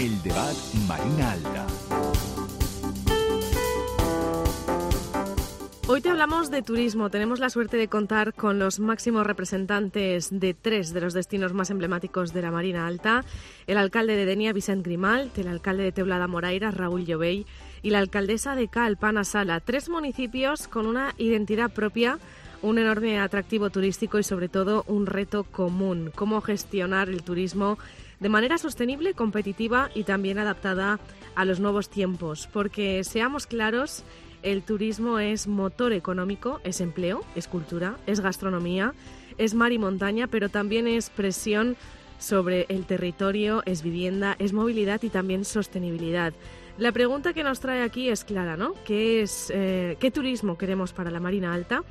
El debat Marina Alta. Hoy te hablamos de turismo. Tenemos la suerte de contar con los máximos representantes de 3 de los destinos más emblemáticos de la Marina Alta: el alcalde de Denia, Vicent Grimalt, el alcalde de Teulada Moraira, Raúl Llovell, y la alcaldesa de Calp, Anna Sala. 3 municipios con una identidad propia, un enorme atractivo turístico y sobre todo un reto común: cómo gestionar el turismo de manera sostenible, competitiva y también adaptada a los nuevos tiempos. Porque, seamos claros, el turismo es motor económico, es empleo, es cultura, es gastronomía, es mar y montaña, pero también es presión sobre el territorio, es vivienda, es movilidad y también sostenibilidad. La pregunta que nos trae aquí es clara, ¿no? ¿Qué turismo queremos para la Marina Alta?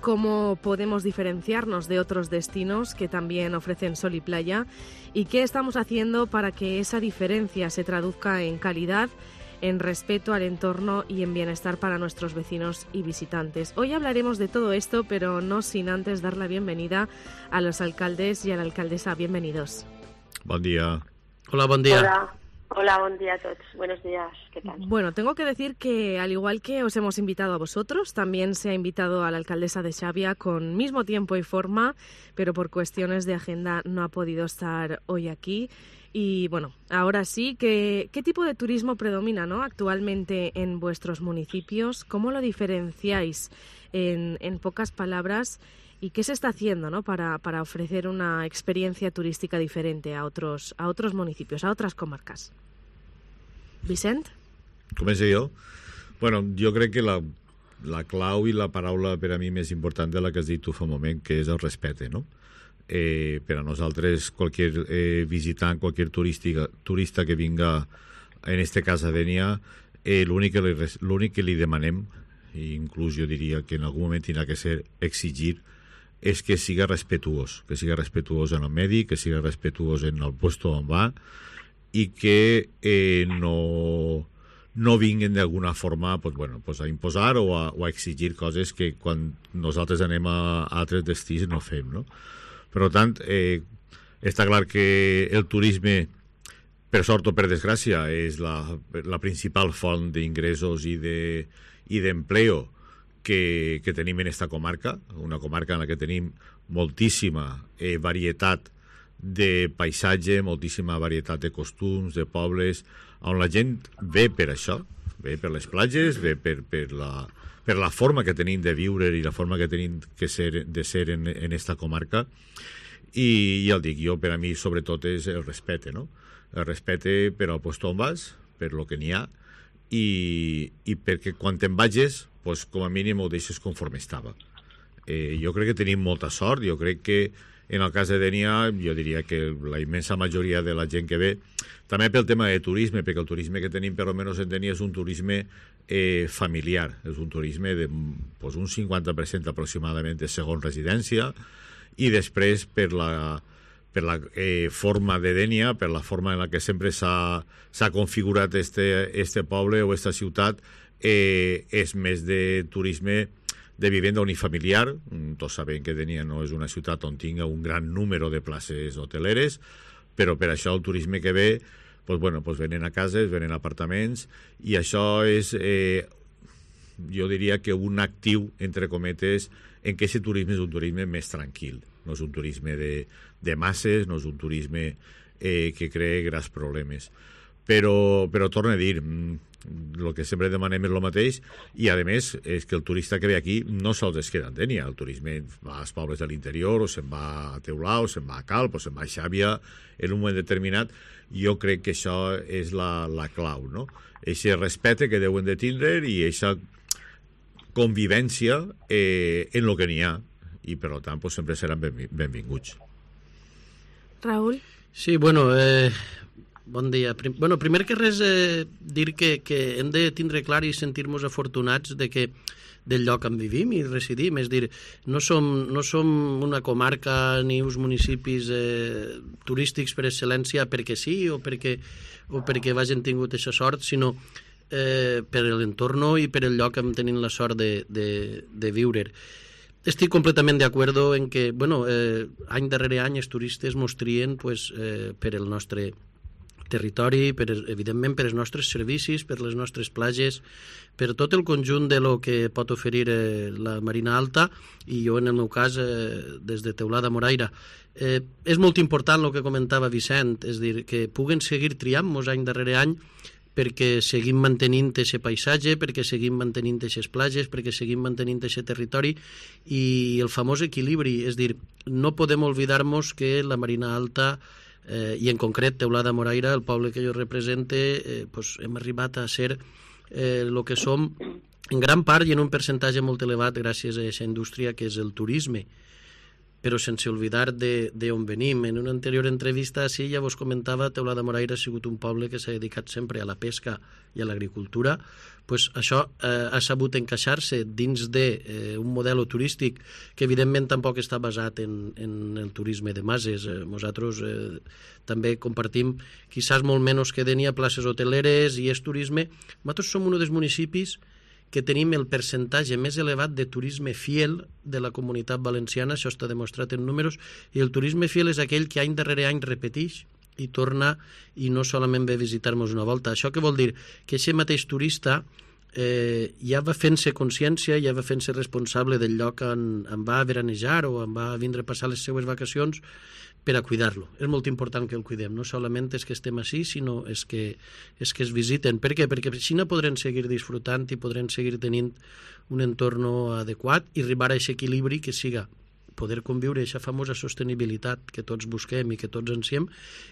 ¿Cómo podemos diferenciarnos de otros destinos que también ofrecen sol y playa? ¿Y qué estamos haciendo para que esa diferencia se traduzca en calidad, en respeto al entorno y en bienestar para nuestros vecinos y visitantes? Hoy hablaremos de todo esto, pero no sin antes dar la bienvenida a los alcaldes y a la alcaldesa. Bienvenidos. Bon dia. Hola, bon dia. Hola, bon dia a tots. Buenos días. ¿Qué tal? Bueno, tengo que decir que al igual que os hemos invitado a vosotros, también se ha invitado a la alcaldesa de Xàbia con mismo tiempo y forma, pero por cuestiones de agenda no ha podido estar hoy aquí. Y bueno, ahora sí, ¿qué tipo de turismo predomina, ¿no?, actualmente en vuestros municipios? ¿Cómo lo diferenciáis en pocas palabras? ¿Y qué se está haciendo, ¿no?, para ofrecer una experiencia turística diferente a otros municipios, a otras comarcas? Vicent? Començo jo? Bueno, jo crec que la clau i la paraula per a mi més important de la que has dit tu fa un moment, que és el respecte, no? Per a nosaltres, qualsevol visitant, qualsevol turista que vinga, en este cas a Denia, l'únic que li demanem, i inclús jo diria que en algun moment tindrà que ser exigir, és que siga respetuós en el medi, que siga respetuós en el puesto on va, i que no vinguin d'alguna forma a imposar o a exigir coses que quan nosaltres anem a altres destins no fem, no? Per tant, està clar que el turisme, per sort o per desgràcia, és la principal font d'ingressos i d'empleo que tenim en esta comarca, una comarca en la que tenim moltíssima varietat de paisatge, moltíssima varietat de costums, de pobles, on la gent ve per això, ve per les platges, ve per la forma que tenim de viure i la forma que tenim de ser en esta comarca. I ja el dic, per a mi sobretot és el respecte, no? El respecte per al lloc on vas, per lo que n'hi ha, i perquè quan te'n vagis, com a mínim ho deixes conforme estava. Jo crec que tenim molta sort. Jo crec que en el cas de Denia, jo diria que la immensa majoria de la gent que ve, també pel tema de turisme, perquè el turisme que tenim per almenys en Denia és un turisme familiar, és un turisme d'un 50% aproximadament de segon residència, i després per la forma de Denia, per la forma en la que sempre s'ha configurat este poble o esta ciutat, és més de turisme de vivenda unifamiliar. Tots sabem que Denia no és una ciutat on tinga un gran número de places hoteleres, però per això el turisme que ve venen a cases, venen a apartaments, i això és, jo diria que un actiu, entre cometes, en què aquest turisme és un turisme més tranquil. No és un turisme de masses, no és un turisme que crea grans problemes. Però torno a dir, el que sempre demanem és el mateix, i a més és que el turista que ve aquí no sols es queda en Denia. El turisme va als pobles de l'interior, o se'n va a Teulada, o se'n va a Calp, o se'n va a Xàbia en un moment determinat. Jo crec que això és la clau, no? Eixe respecte que deuen de tindre i eixa convivència en el que n'hi ha, i per tant sempre seran benvinguts. Raúl? Sí, bueno, bon dia. Primer que res, dir que hem de tindre clar i sentir-nos afortunats del lloc on vivim i residim. És dir, no som una comarca ni uns municipis turístics per excel·lència perquè sí o perquè hagin tingut aquesta sort, sinó per l'entorn i per el lloc on tenim la sort de viure. Estic completament d'acord en que, any darrere any els turistes mos trien per el nostre territori, evidentment per els nostres servicis, per les nostres platges, per tot el conjunt de lo que pot oferir la Marina Alta, i jo en el meu cas des de Teulada Moraira. És molt important el que comentava Vicent, és dir, que puguen seguir triant-nos any darrere any perquè seguim mantenint aquest paisatge, perquè seguim mantenint aquestes platges, perquè seguim mantenint aquest territori, i el famós equilibri, és dir, no podem oblidar-nos que la Marina Alta, i en concret Teulada Moraira, el poble que jo represente, hem arribat a ser el que som en gran part i en un percentatge molt elevat gràcies a aquesta indústria que és el turisme, però sense oblidar d'on venim. En una anterior entrevista sí, ja vos comentava, Teulada Moraira ha sigut un poble que s'ha dedicat sempre a la pesca i a l'agricultura. Pues això ha sabut encaixar-se dins d'un model turístic que evidentment tampoc està basat en el turisme de masses. Nosaltres també compartim, quizás molt menys que Dénia, places hoteleres i és turisme. Nosaltres som un dels municipis que tenim el percentatge més elevat de turisme fiel de la Comunitat Valenciana, això està demostrat en números, i el turisme fiel és aquell que any darrere any repeteix i torna i no solament ve a visitar-nos una volta. Això què vol dir? Que aquest mateix turista ja va fent-se consciència, ja va fent-se responsable del lloc on va a veranejar o on va a vindre a passar les seues vacacions per a cuidar-lo. És molt important que el cuidem, no solament és que estem així, sinó és que es visiten. Per què? Perquè així no podrem seguir disfrutant i podrem seguir tenint un entorn adequat i arribar a aquest equilibri que siga poder conviure aquesta famosa sostenibilitat que tots busquem i que tots ansiem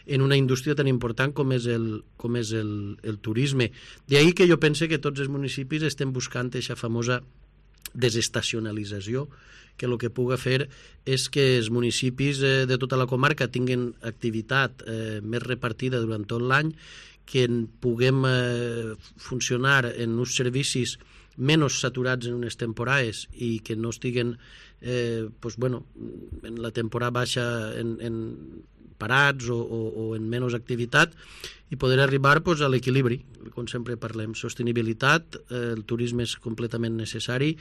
en una indústria tan important com és el turisme. D'ahí que jo pense que tots els municipis estem buscant aquesta famosa desestacionalització, que el que puga fer és que els municipis de tota la comarca tinguin activitat més repartida durant tot l'any, que puguem funcionar en uns servicis menys saturats en unes temporades i que no estiguen en la temporada baixa en parats o en menys activitat, i poder arribar a l'equilibri, com sempre parlem. Sostenibilitat, el turisme és completament necessari.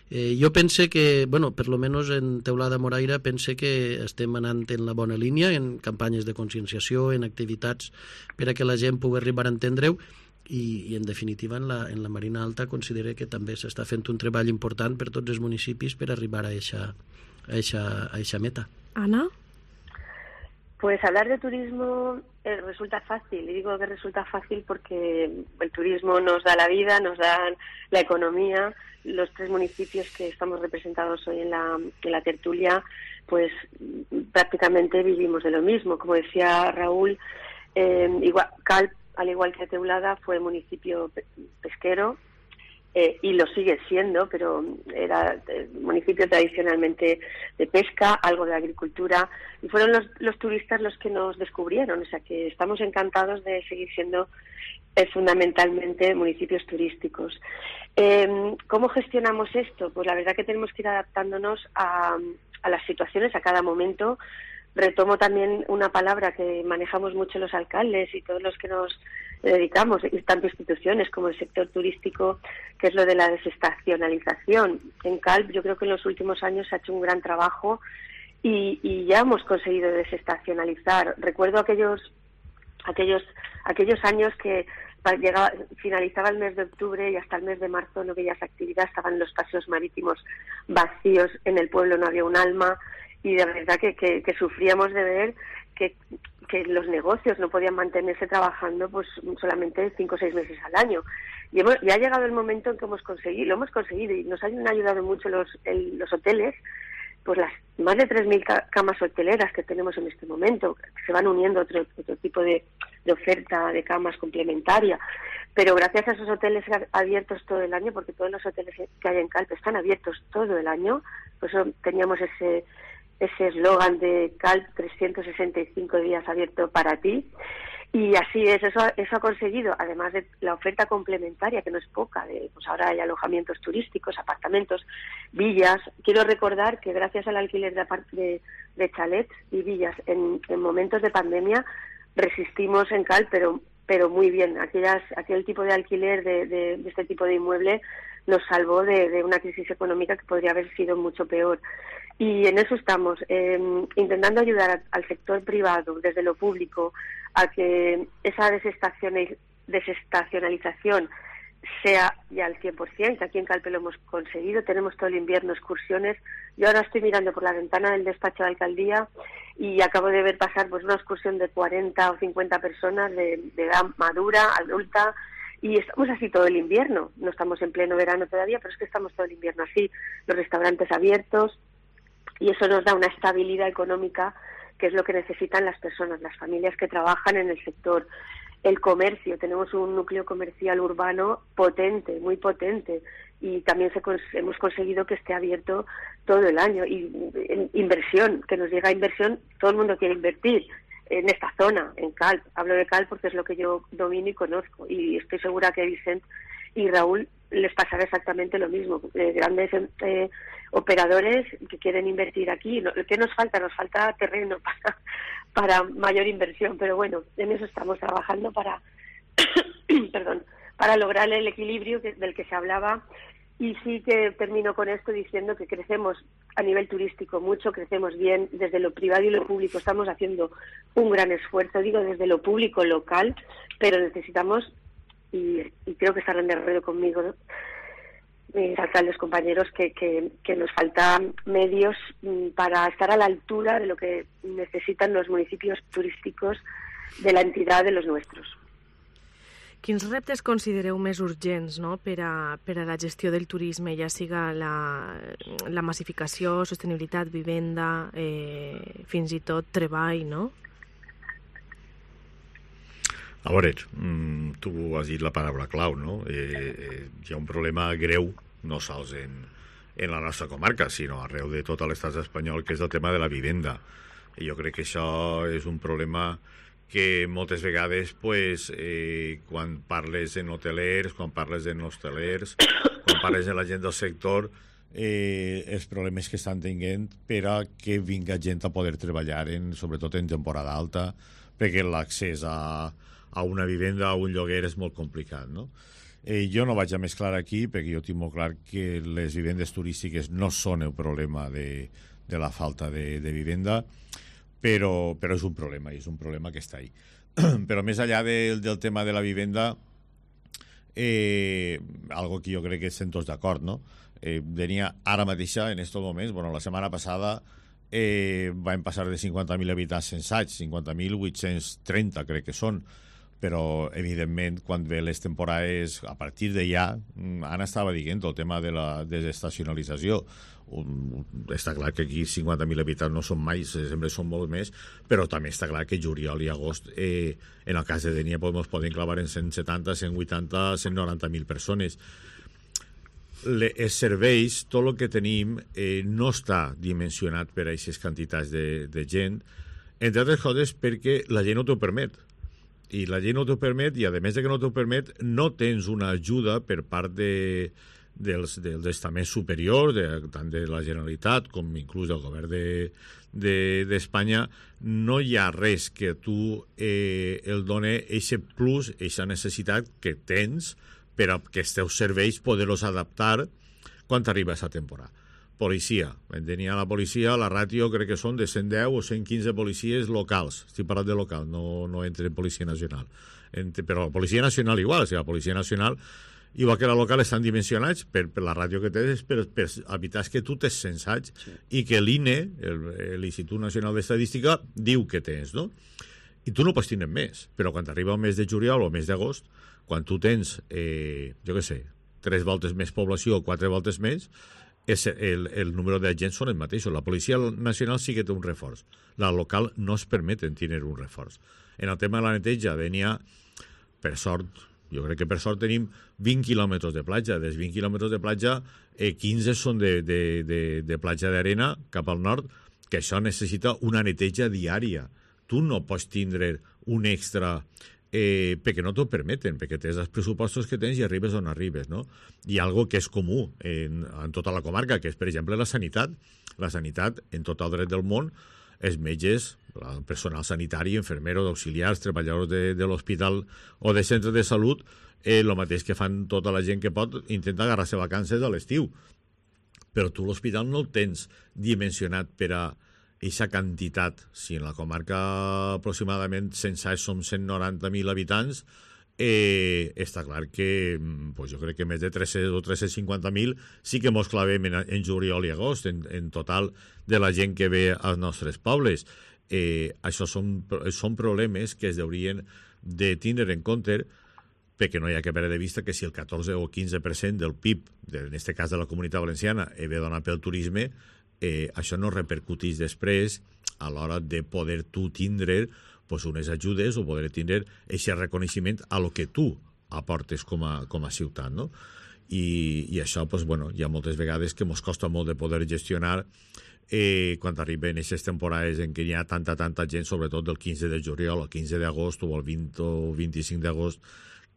Jo pense que, per lo menos en Teulada Moraira, pense que estem anant en la bona línia, en campanyes de conscienciació, en activitats per a que la gent pugui arribar a entendre-ho, i en definitiva en la Marina Alta considero que també s'està fent un treball important per tots els municipis per arribar a eixa meta. Ana? Pues hablar de turismo resulta fácil, y digo que resulta fácil porque el turismo nos da la vida, nos da la economía. Los tres municipios que estamos representados hoy en la tertulia, pues prácticamente vivimos de lo mismo. Como decía Raúl, Calp, al igual que Teulada, fue municipio pesquero, y lo sigue siendo, pero era municipio tradicionalmente de pesca, algo de agricultura, y fueron los turistas los que nos descubrieron, o sea que estamos encantados de seguir siendo fundamentalmente municipios turísticos. ¿Cómo gestionamos esto? Pues la verdad que tenemos que ir adaptándonos a las situaciones, a cada momento. Retomo también una palabra que manejamos mucho los alcaldes y todos los que nos dedicamos, y tanto instituciones como el sector turístico, que es lo de la desestacionalización. En Calp yo creo que en los últimos años se ha hecho un gran trabajo y ya hemos conseguido desestacionalizar. Recuerdo aquellos años que finalizaba el mes de octubre y hasta el mes de marzo no veías actividad, estaban los paseos marítimos vacíos, en el pueblo no había un alma, y de verdad que sufríamos de ver que los negocios no podían mantenerse trabajando pues solamente 5 o 6 meses al año. Y ya ha llegado el momento en que lo hemos conseguido y nos han ayudado mucho los hoteles, pues las más de 3.000 camas hoteleras que tenemos en este momento, que se van uniendo otro tipo de oferta de camas complementaria. Pero gracias a esos hoteles abiertos todo el año, porque todos los hoteles que hay en Calp están abiertos todo el año, por eso teníamos ese eslogan de Calp 365 días abierto para ti, y así es, eso ha conseguido, además de la oferta complementaria, que no es poca, pues ahora hay alojamientos turísticos, apartamentos, villas. Quiero recordar que gracias al alquiler de chalets y villas en momentos de pandemia resistimos en Calp, pero muy bien. Aquel tipo de alquiler de este tipo de inmueble nos salvó de una crisis económica que podría haber sido mucho peor. Y en eso estamos, intentando ayudar al sector privado, desde lo público, a que esa desestacionalización sea ya al 100%, que aquí en Calpe lo hemos conseguido, tenemos todo el invierno excursiones. Yo ahora estoy mirando por la ventana del despacho de alcaldía y acabo de ver pasar pues una excursión de 40 o 50 personas de edad madura, adulta, y estamos así todo el invierno. No estamos en pleno verano todavía, pero es que estamos todo el invierno así, los restaurantes abiertos, y eso nos da una estabilidad económica que es lo que necesitan las personas, las familias que trabajan en el sector. El comercio, tenemos un núcleo comercial urbano potente, muy potente, y también hemos conseguido que esté abierto todo el año. Y inversión, que nos llega inversión, todo el mundo quiere invertir en esta zona, en Calp. Hablo de Calp porque es lo que yo domino y conozco, y estoy segura que Vicent y Raúl les pasará exactamente lo mismo. Grandes operadores que quieren invertir aquí. ¿Qué nos falta? Nos falta terreno para mayor inversión, pero bueno, en eso estamos trabajando para para lograr el equilibrio del que se hablaba. Y sí que termino con esto diciendo que crecemos a nivel turístico mucho, crecemos bien desde lo privado y lo público. Estamos haciendo un gran esfuerzo, digo, desde lo público local, pero necesitamos, y creo que estarán de acuerdo conmigo, ¿no?, mis alcaldes, compañeros, que nos faltan medios para estar a la altura de lo que necesitan los municipios turísticos de la entidad de los nuestros. Quins reptes considereu més urgents, no?, per a la gestió del turisme, ja siga la massificació, sostenibilitat, vivenda, fins i tot treball, no? A veure, tu has dit la paraula clau, no? Hi ha un problema greu, no sols en la nostra comarca, sinó arreu de tot l'estat espanyol, que és el tema de la vivenda. I jo crec que això és un problema que moltes vegades, pues, quan parles en hotelers, quan parles en hostelers, quan parles en la gent del sector, els problemes que estan tenint per a que vinga gent a poder treballar, sobretot en temporada alta, perquè l'accés a una vivenda, a un lloguer, és molt complicat, no? Jo no vaig a mesclar aquí, perquè jo tinc molt clar que les vivendes turístiques no són el problema de la falta de vivenda, però és un problema, i és un problema que està ahí. Però més enllà del tema de la vivenda, algo que jo crec que estem tots d'acord, no? Venia ara mateixa, en estos moments, bueno, la setmana passada vam passar de 50.000 habitants censats, 50.830 crec que són, però evidentment quan ve les temporades a partir de ja, Anna estava dient el tema de la desestacionalització. Està clar que aquí 50.000 habitants no són mai, sempre són molt més, però també està clar que juliol i agost en el cas de Dénia ens poden clavar en 170, 180, 190.000 persones. Els serveis, tot el que tenim no està dimensionat per a aquestes quantitats de gent, entre altres coses perquè la llei no t'ho permet. I la llei no t'ho permet, i a més de que no t'ho permet, no tens una ajuda per part dels estaments superiors, tant de la Generalitat com inclús del govern d'Espanya. No hi ha res que tu el doni aquest plus, aquesta necessitat que tens per a que els teus serveis poder-los adaptar quan t'arriba aquesta temporada. Policia. Tenia la policia, la ràtio crec que són de 110 o 115 policies locals. Estic parlant de local, no entre en Policia Nacional. Però la Policia Nacional igual, o sigui, la Policia Nacional, igual que la local, estan dimensionats per la ràtio que tens, per habitatges que tu tens censats, sí, i que l'INE, l'Institut Nacional d'Estadística, diu que tens, no? I tu no pots tenir més, però quan arriba el mes de juliol o el mes d'agost, quan tu tens, jo què sé, 3 voltes més població o 4 voltes més, el número d'agents són els mateixos. La Policia Nacional sí que té un reforç. La local no es permeten tenir un reforç. En el tema de la neteja, per sort, jo crec que per sort tenim 20 quilòmetres de platja. Dels 20 quilòmetres de platja, 15 són de platja d'arena cap al nord, que això necessita una neteja diària. Tu no pots tindre un extra perquè no t'ho permeten, perquè tens els pressupostos que tens i arribes on arribes, no? Hi ha algo que és comú en tota la comarca, que és, per exemple, la sanitat. La sanitat, en tot el dret del món, els metges, el personal sanitari, infermeros, auxiliars, treballadors de l'hospital o de centres de salut, el mateix que fan tota la gent que pot, intenta agarrar-se vacances a l'estiu. Però tu l'hospital no el tens dimensionat per a aquesta quantitat, si en la comarca aproximadament censats som 190.000 habitants, està clar que pues jo crec que més de 300 o 350.000 sí que mos clavem en juliol i agost, en total de la gent que ve als nostres pobles. Això són problemes que es haurien de tindre en compte, perquè no hi ha que perdre de vista que si el 14 o 15% del PIB, en aquest cas de la Comunitat Valenciana, ve donat pel turisme, això no repercuteix després a l'hora de poder tu tindre pues, unes ajudes o poder tindre aquest reconeixement a lo que tu aportes com a ciutat, no? I això, pues, bueno, hi ha moltes vegades que ens costa molt de poder gestionar quan arriben aquestes temporades en què hi ha tanta gent, sobretot del 15 de juliol, el 15 d'agost o el 20 o 25 d'agost,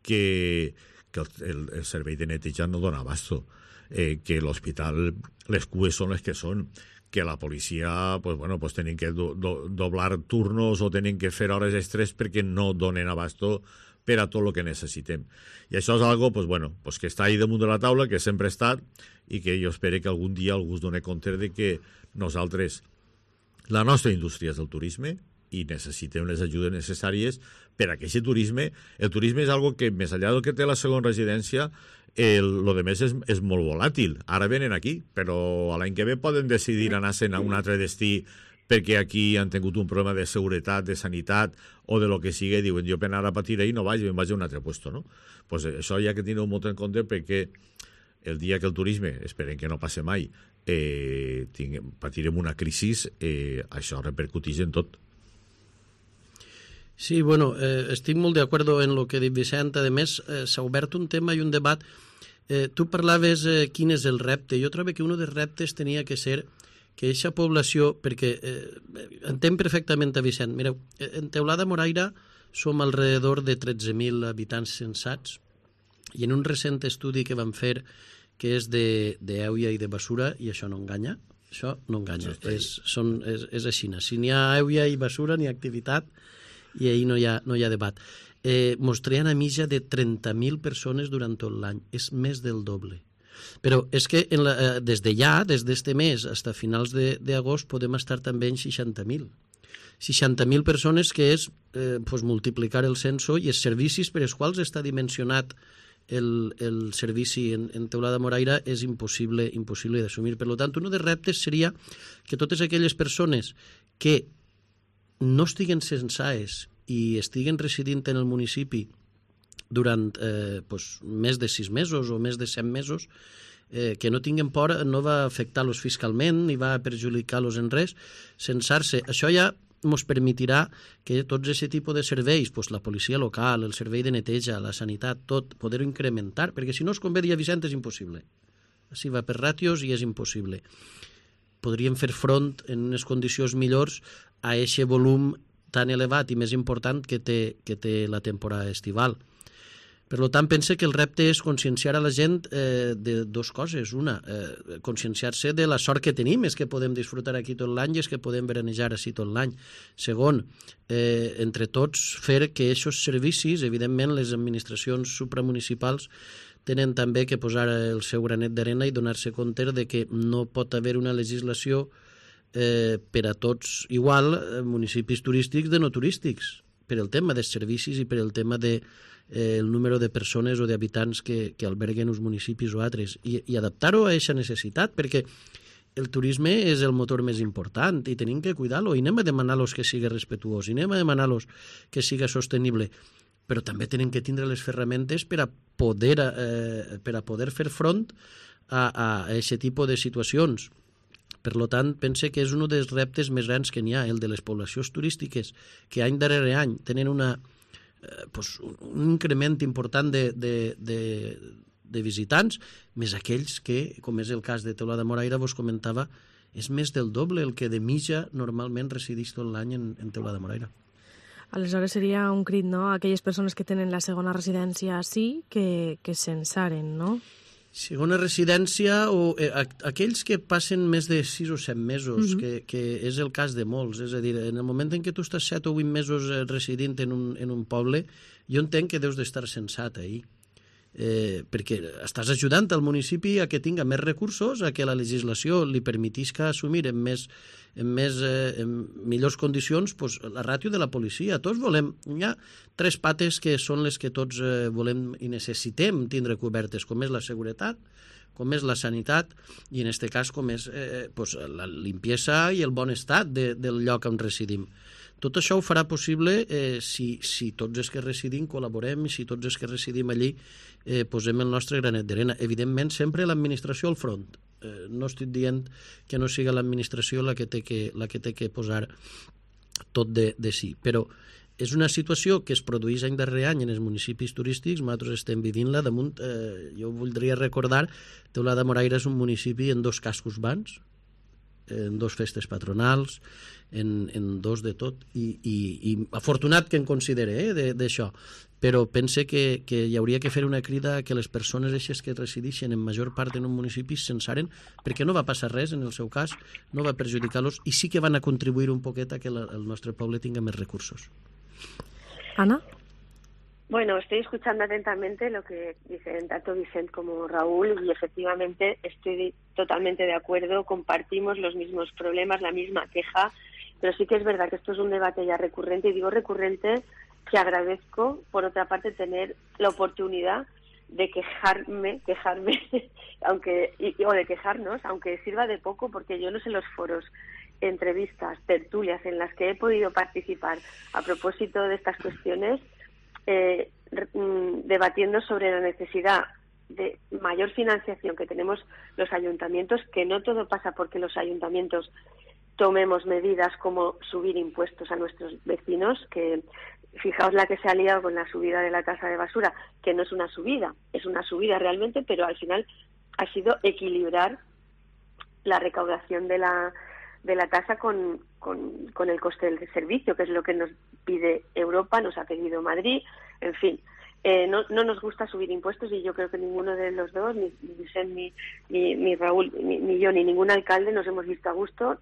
que el servei de neteja no dona abasto, que l'hospital, les cues són les que són, que la policia pues, bueno, pues, tenen que doblar turnos o tenen que fer hores extres perquè no donen abasto per a tot el que necessitem. I això és algo pues, bueno, pues, que està ahí damunt de la taula, que sempre ha estat, i que jo espero que algun dia algú es doni compte de que nosaltres, la nostra indústria és el turisme, i necessitem les ajudes necessàries per a aquest turisme. El turisme és algo que, més enllà del que té la segona residència, lo de més és molt volàtil. Ara venen aquí, però l'any que ve poden decidir anar-se'n a un altre destí perquè aquí han tingut un problema de seguretat, de sanitat o de lo que sigui, i diuen, jo per anar a patir ahí no vaig, me'n vaig a un altre puesto, no? Pues això hi ha que tenir molt en compte, perquè el dia que el turisme, esperem que no passe mai, patirem una crisi, això repercuteix en tot. Sí, bueno, estic molt d'acord en el que ha dit Vicent. A més, s'ha obert un tema i un debat. Tu parlaves quin és el repte. Jo trobo que un dels reptes tenia que ser que aquesta població, perquè entenc perfectament a Vicent, mireu, en Teulada Moraira som alrededor de 13.000 habitants censats, i en un recent estudi que vam fer, que és d'Èuia i de Bessura, i això no enganya, és així. Si n'hi ha Èuia i Bessura, n'hi ha activitat, i ahir no hi ha debat. Mostraran a mitja de 30.000 persones durant tot l'any. És més del doble. Però és que des d'este mes fins a finals d'agost podem estar també en 60.000. 60.000 persones, que és multiplicar el censo i els servicis per als quals està dimensionat el servici en Teulada Moraira és impossible d'assumir. Per tant, un dels reptes seria que totes aquelles persones que no estiguen censades i estiguen residint en el municipi durant més de 6 mesos o més de 100 mesos, que no tinguin por, no va afectar-los fiscalment ni va perjudicar-los en res, censar-se. Això ja ens permetirà que tots aquest tipus de serveis, la policia local, el servei de neteja, la sanitat, tot, poder-ho incrementar, perquè si no, com bé deia Vicent, és impossible. Així va per ràtios i és impossible. Podríem fer front en unes condicions millors a aquest volum tan elevat i més important que té la temporada estival. Per tant, pense que el repte és conscienciar a la gent de dues coses. Una, conscienciar-se de la sort que tenim, és que podem disfrutar aquí tot l'any i és que podem veranejar així tot l'any. Segon, entre tots, fer que aquests servicis, evidentment, les administracions supramunicipals tenen també que posar el seu granet d'arena i donar-se compte de que no pot haver una legislació per a tots igual, municipis turístics de no turístics, per el tema dels servicis i per el tema del número de persones o d'habitants que alberguen uns municipis o altres, i adaptar-ho a aquesta necessitat, perquè el turisme és el motor més important i tenim que cuidar-lo, i anem a demanar-los que sigui respectuós, i anem a demanar-los que sigui sostenible, però també tenen que tindre les ferramentes per a poder fer front a aquest tipus de situacions. Per tant, pense que és un dels reptes més grans que n'hi ha, el de les poblacions turístiques, que any darrere any tenen un increment important de visitants, més aquells que, com és el cas de Teulada Moraira, vos comentava, és més del doble el que de mitja normalment resideix tot l'any en Teulada Moraira. Aleshores seria un crit, no?, a aquelles persones que tenen la segona residència sí que censaren, no? Segona residència o aquells que passen més de 6 o 7 mesos, que és el cas de molts. És a dir, en el moment en què tu estàs 7 o 8 mesos residint en un poble, jo entenc que deus d'estar censat ahir. perquè estàs ajudant al municipi a que tinga més recursos, a que la legislació li permetisca assumir en millors condicions pues, la ràtio de la policia. Tots volem, hi ha 3 pates que són les que tots volem i necessitem tindre cobertes, com és la seguretat, com és la sanitat i en aquest cas com és pues, la limpiesa i el bon estat del lloc on residim. Tot això ho farà possible si tots els que residim col·laborem i si tots els que residim allí posem el nostre granet d'arena. Evidentment, sempre l'administració al front. No estic dient que no siga l'administració la que té que posar tot de sí, però és una situació que es produeix any darrere any en els municipis turístics, nosaltres estem vivint-la damunt. Jo voldria recordar, Teulada de Moraira és un municipi en 2 cascos urbans, en 2 festes patronals, en 2 de tot, i afortunat que en considere d'això, però pense que hi hauria que fer una crida que les persones eixes que resideixen en major part en un municipi se'n saren, perquè no va passar res en el seu cas, no va perjudicar-los i sí que van a contribuir un poquet a que el nostre poble tinga més recursos. Ana? Bueno, estoy escuchando atentamente lo que dicen tanto Vicent como Raúl y efectivamente estoy totalmente de acuerdo, compartimos los mismos problemas, la misma queja, pero sí que es verdad que esto es un debate ya recurrente, y digo recurrente que agradezco, por otra parte, tener la oportunidad de quejarme o de quejarnos, aunque sirva de poco, porque yo no sé los foros, entrevistas, tertulias en las que he podido participar a propósito de estas cuestiones, debatiendo sobre la necesidad de mayor financiación que tenemos los ayuntamientos, que no todo pasa porque los ayuntamientos tomemos medidas como subir impuestos a nuestros vecinos, que fijaos la que se ha liado con la subida de la tasa de basura, que no es una subida, es una subida realmente, pero al final ha sido equilibrar la recaudación de la tasa con el coste del servicio, que es lo que nos pide Europa, nos ha pedido Madrid, en fin. No nos gusta subir impuestos, y yo creo que ninguno de los dos, ni Vicent, ni Raúl, ni yo, ni ningún alcalde nos hemos visto a gusto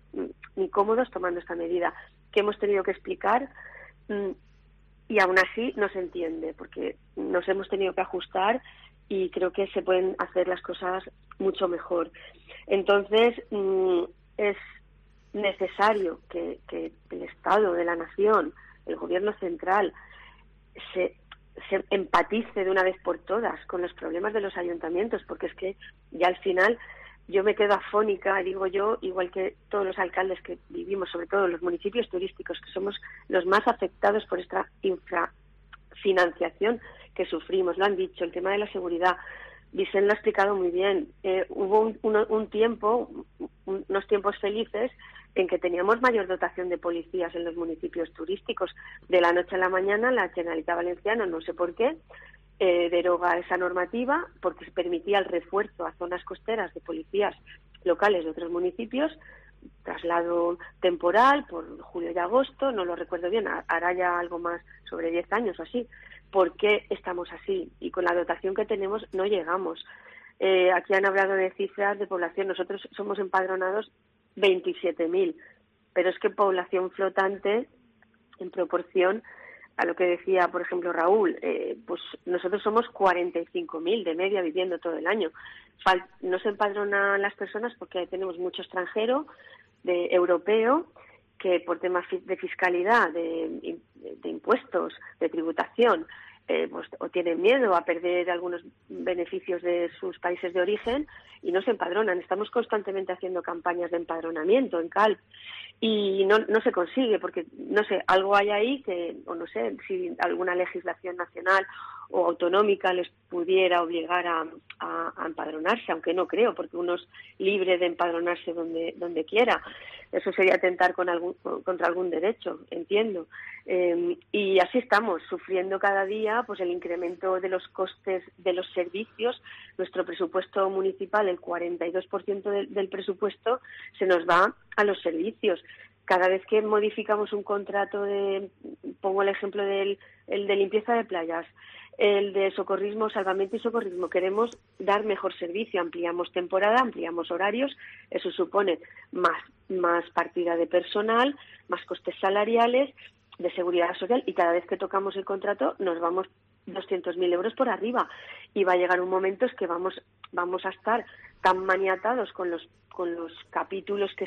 ni cómodos tomando esta medida, que hemos tenido que explicar, y aún así no se entiende, porque nos hemos tenido que ajustar y creo que se pueden hacer las cosas mucho mejor. Entonces, es necesario que el Estado de la Nación, el Gobierno central, se empatice de una vez por todas con los problemas de los ayuntamientos, porque es que ya al final yo me quedo afónica, digo yo, igual que todos los alcaldes que vivimos, sobre todo en los municipios turísticos, que somos los más afectados por esta infrafinanciación que sufrimos. Lo han dicho, el tema de la seguridad, Vicent lo ha explicado muy bien. Hubo unos tiempos felices en que teníamos mayor dotación de policías en los municipios turísticos. De la noche a la mañana, la Generalitat Valenciana, no sé por qué, deroga esa normativa porque se permitía el refuerzo a zonas costeras de policías locales de otros municipios, traslado temporal por julio y agosto, no lo recuerdo bien, hará ya algo más sobre 10 años o así. ¿Por qué estamos así? Y con la dotación que tenemos no llegamos. Aquí han hablado de cifras de población, nosotros somos empadronados 27.000, pero es que población flotante en proporción a lo que decía, por ejemplo, Raúl, pues nosotros somos 45.000 de media viviendo todo el año. No se empadronan las personas porque tenemos mucho extranjero, europeo, que por temas de fiscalidad, de impuestos, de tributación, pues o tienen miedo a perder algunos beneficios de sus países de origen y no se empadronan. Estamos constantemente haciendo campañas de empadronamiento en CALP y no se consigue porque, no sé, algo hay ahí que, o no sé, si alguna legislación nacional o autonómica les pudiera obligar a empadronarse, aunque no creo, porque uno es libre de empadronarse donde quiera. Eso sería atentar contra algún derecho, entiendo. Y así estamos, sufriendo cada día pues el incremento de los costes de los servicios. Nuestro presupuesto municipal, el 42% del presupuesto, se nos va a los servicios. Cada vez que modificamos un contrato pongo el ejemplo el de limpieza de playas, el de socorrismo, salvamento y socorrismo, queremos dar mejor servicio, ampliamos temporada, ampliamos horarios, eso supone más partida de personal, más costes salariales, de seguridad social, y cada vez que tocamos el contrato nos vamos 200.000 euros por arriba, y va a llegar un momento es que vamos a estar tan maniatados con los capítulos que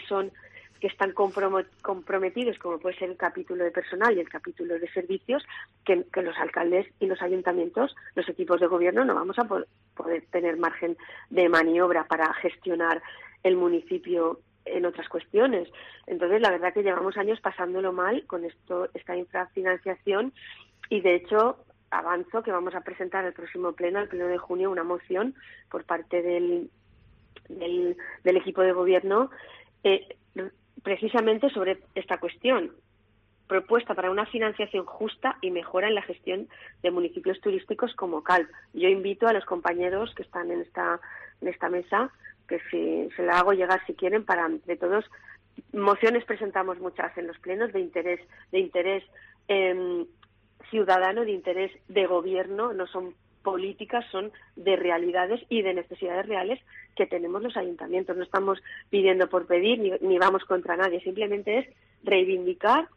están comprometidos, como puede ser el capítulo de personal y el capítulo de servicios, que los alcaldes y los ayuntamientos, los equipos de gobierno, no vamos a poder tener margen de maniobra para gestionar el municipio en otras cuestiones. Entonces, la verdad que llevamos años pasándolo mal con esta infrafinanciación, y de hecho avanzo que vamos a presentar el próximo pleno, el pleno de junio, una moción por parte del equipo de gobierno precisamente sobre esta cuestión, propuesta para una financiación justa y mejora en la gestión de municipios turísticos como Calp. Yo invito a los compañeros que están en esta mesa que se la hago llegar si quieren, para entre todos. Mociones presentamos muchas en los plenos de interés ciudadano, de interés de gobierno, no son políticas, son de realidades y de necesidades reales que tenemos los ayuntamientos. No estamos pidiendo por pedir ni vamos contra nadie, simplemente es reivindicar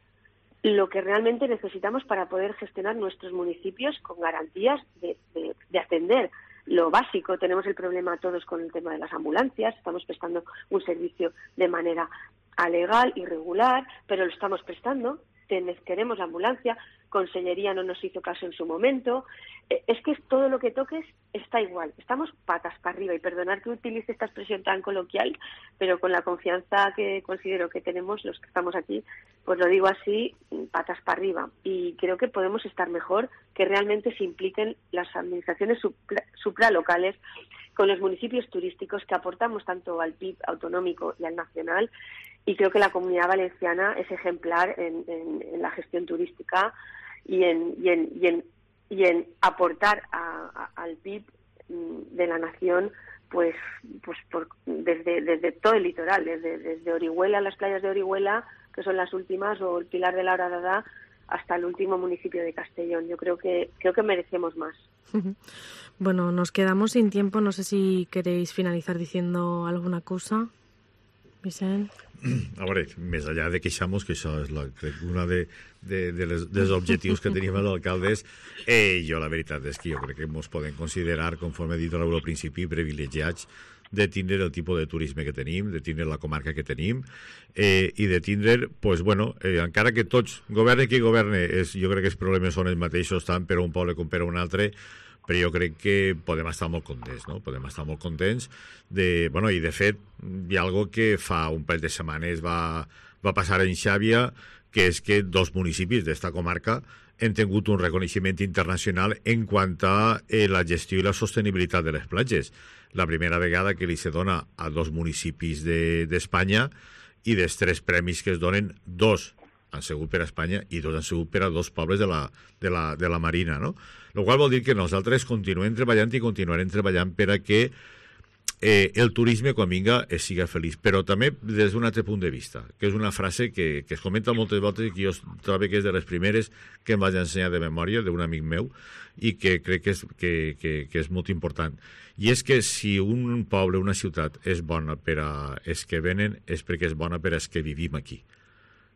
lo que realmente necesitamos para poder gestionar nuestros municipios con garantías de atender lo básico. Tenemos el problema todos con el tema de las ambulancias, estamos prestando un servicio de manera alegal y regular, pero lo estamos prestando, queremos la ambulancia, Consellería no nos hizo caso en su momento. Es que todo lo que toques está igual, estamos patas para arriba, y perdonar que utilice esta expresión tan coloquial, pero con la confianza que considero que tenemos los que estamos aquí, pues lo digo así, patas para arriba, y creo que podemos estar mejor, que realmente se impliquen las administraciones supralocales con los municipios turísticos, que aportamos tanto al PIB autonómico y al nacional, y creo que la Comunidad Valenciana es ejemplar en la gestión turística y en aportar al PIB de la nación, pues desde todo el litoral, desde Orihuela, las playas de Orihuela, que son las últimas, o el Pilar de la Horadada, hasta el último municipio de Castellón. Yo creo que merecemos más. Bueno, nos quedamos sin tiempo. No sé si queréis finalizar diciendo alguna cosa, Vicent. A veure, més enllà de queixar-nos, que això és una dels objectius que tenim els alcaldes, jo la veritat és que jo crec que ens podem considerar, conforme he dit al principi, privilegiats de tindre el tipus de turisme que tenim, de tindre la comarca que tenim, i de tindre, pues, bueno, encara que tots, governe qui governe, jo crec que els problemes són els mateixos tant per a un poble com per a un altre, però jo crec que podem estar molt contents, no? Podem estar molt contents de... Bueno, i de fet, hi ha algo que fa un parell de setmanes va passar en Xàbia, que és que dos municipis d'esta comarca han tingut un reconeixement internacional en quant a la gestió i la sostenibilitat de les platges. La primera vegada que li se dona a dos municipis d'Espanya, i dels 3 premis que es donen, 2 han sigut per a Espanya i 2 han sigut per a 2 pobles de la Marina, no? El qual vol dir que nosaltres continuem treballant i continuarem treballant per a que el turisme, quan vinga, siga feliç. Però també des d'un altre punt de vista, que és una frase que es comenta moltes voltes i que jo trobo que és de les primeres que em vaig ensenyar de memòria d'un amic meu, i que crec que és molt important. I és que si un poble, una ciutat, és bona per a els que venen, és perquè és bona per als que vivim aquí.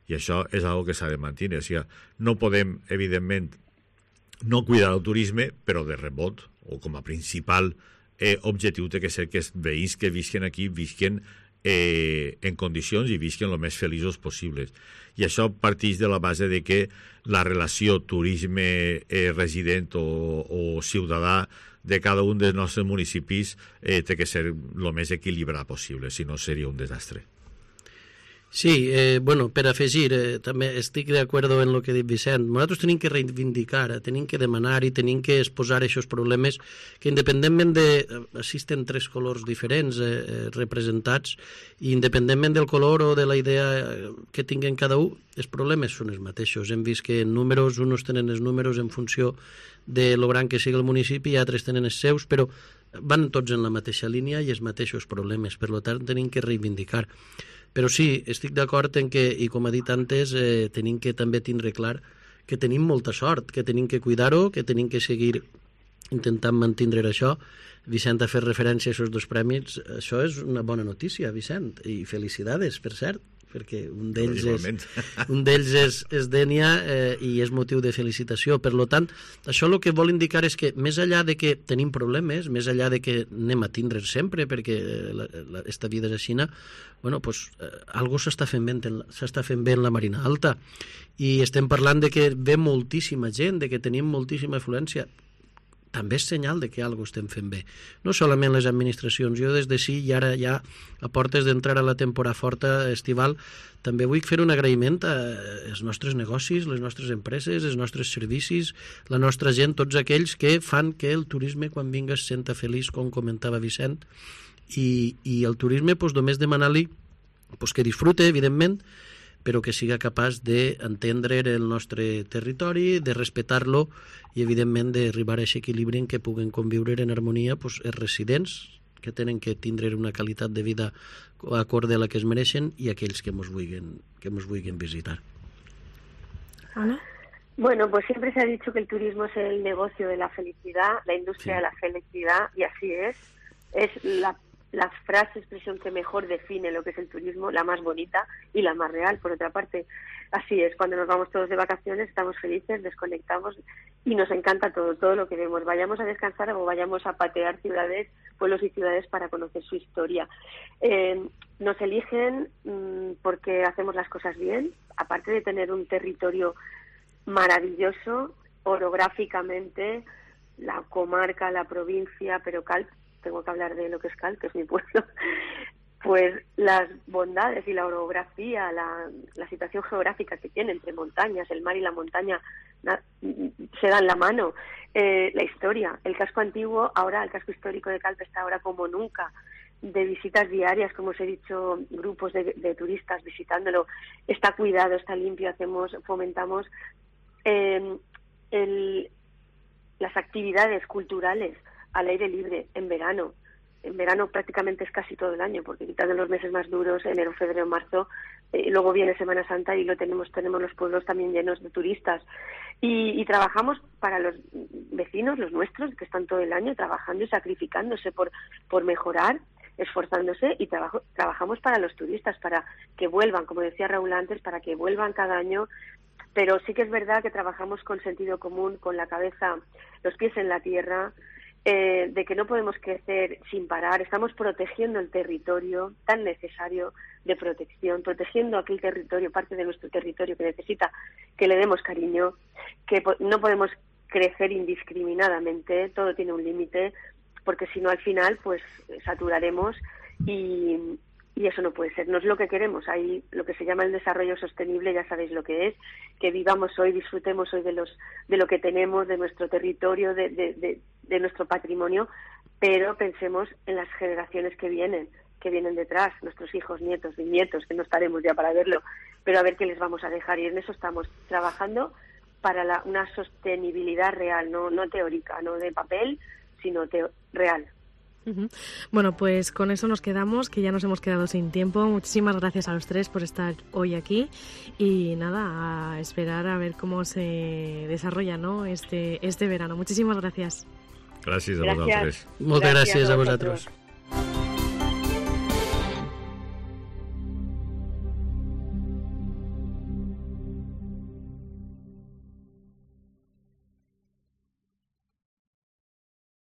I això és una cosa que s'ha de mantenir. O sigui, no podem, evidentment, no cuidar el turisme, però de rebot, o com a principal objectiu té que ser que els veïns que visquen aquí visquen en condicions i visquen el més feliços possibles. I això parteix de la base de que la relació turisme resident o ciutadà de cada un dels nostres municipis té que ser el més equilibrat possible, si no seria un desastre. Sí, bueno, per afegir, també estic d'acord en el que ha dit Vicent. Nosaltres tenim que reivindicar, tenim que demanar i tenim que exposar aquests problemes que, independentment de... Existen 3 colors diferents representats, i independentment del color o de la idea que tinguen cada un, els problemes són els mateixos. Hem vist que en números, uns tenen els números en funció de lo gran que sigui el municipi i altres tenen els seus, però van tots en la mateixa línia i els mateixos problemes. Per tant, tenim que reivindicar. Però sí, estic d'acord en que, i com ha dit antes, tenim que també tindre clar que tenim molta sort, que tenim que cuidar-ho, que tenim que seguir intentant mantindre això. Vicent ha fet referència a aquests 2 premis. Això és una bona notícia, Vicent, i felicitats, per cert. perquè un d'ells és Dénia i és motiu de felicitació. Per tant, això el que vol indicar és que més enllà de que tenim problemes, més enllà de que anem a tindre sempre, perquè esta vida és així, bueno, pues, algo s'està fent bé en la Marina Alta, i estem parlant de que ve moltíssima gent, de que tenim moltíssima afluència. També és senyal de que alguna cosa estem fent bé. No solament les administracions. Jo des de sí, i ara ja a portes d'entrar a la temporada forta estival, també vull fer un agraïment als nostres negocis, les nostres empreses, els nostres servicis, la nostra gent, tots aquells que fan que el turisme quan vinga es senta feliç, com comentava Vicent, i el turisme, només demanar-li que disfrute, evidentment, però que siga capaç d'entendre el nostre territori, de respectar-lo i, evidentment, d'arribar a aquest equilibri en què puguen conviure en harmonia els residents, que tenen que tindre una qualitat de vida acorde a la que es mereixen, i aquells que ens vulguin visitar. Ana? Bueno, pues siempre se ha dicho que el turismo es el negocio de la felicidad, la industria de la felicidad, y así es. Es la frase, expresión que mejor define lo que es el turismo, la más bonita y la más real, por otra parte. Así es, cuando nos vamos todos de vacaciones estamos felices, desconectamos y nos encanta todo lo que vemos. Vayamos a descansar o vayamos a patear ciudades, pueblos y ciudades para conocer su historia. Nos eligen porque hacemos las cosas bien, aparte de tener un territorio maravilloso, orográficamente, la comarca, la provincia, pero Calp, tengo que hablar de lo que es Calp, que es mi pueblo, pues las bondades y la orografía, la situación geográfica que tiene entre montañas, el mar y la montaña se dan la mano. La historia, el casco antiguo, ahora el casco histórico de Calp está ahora como nunca, de visitas diarias, como os he dicho, grupos de turistas visitándolo, está cuidado, está limpio, fomentamos las actividades culturales al aire libre en verano. En verano prácticamente es casi todo el año, porque quitando los meses más duros, enero, febrero, marzo, luego viene Semana Santa y tenemos los pueblos también llenos de turistas. Y trabajamos para los vecinos, los nuestros, que están todo el año trabajando y sacrificándose por mejorar, esforzándose, y trabajamos para los turistas, para que vuelvan, como decía Raúl antes, para que vuelvan cada año. Pero sí que es verdad que trabajamos con sentido común, con la cabeza, los pies en la tierra, de que no podemos crecer sin parar. Estamos protegiendo el territorio tan necesario de protección, protegiendo aquel territorio, parte de nuestro territorio que necesita que le demos cariño, que no podemos crecer indiscriminadamente, todo tiene un límite, porque si no al final pues saturaremos y eso no puede ser, no es lo que queremos. Hay lo que se llama el desarrollo sostenible, ya sabéis lo que es, que vivamos hoy, disfrutemos hoy de lo que tenemos, de nuestro territorio, de nuestro patrimonio, pero pensemos en las generaciones que vienen detrás, nuestros hijos, nietos, bisnietos, que no estaremos ya para verlo, pero a ver qué les vamos a dejar, y en eso estamos trabajando para una sostenibilidad real, no teórica, no de papel, sino real. Bueno, pues con eso nos quedamos, que ya nos hemos quedado sin tiempo. Muchísimas gracias a los tres por estar hoy aquí y nada, a esperar a ver cómo se desarrolla, ¿no? este verano. Muchísimas gracias. Gràcies a vosaltres. Moltes gràcies a vosaltres.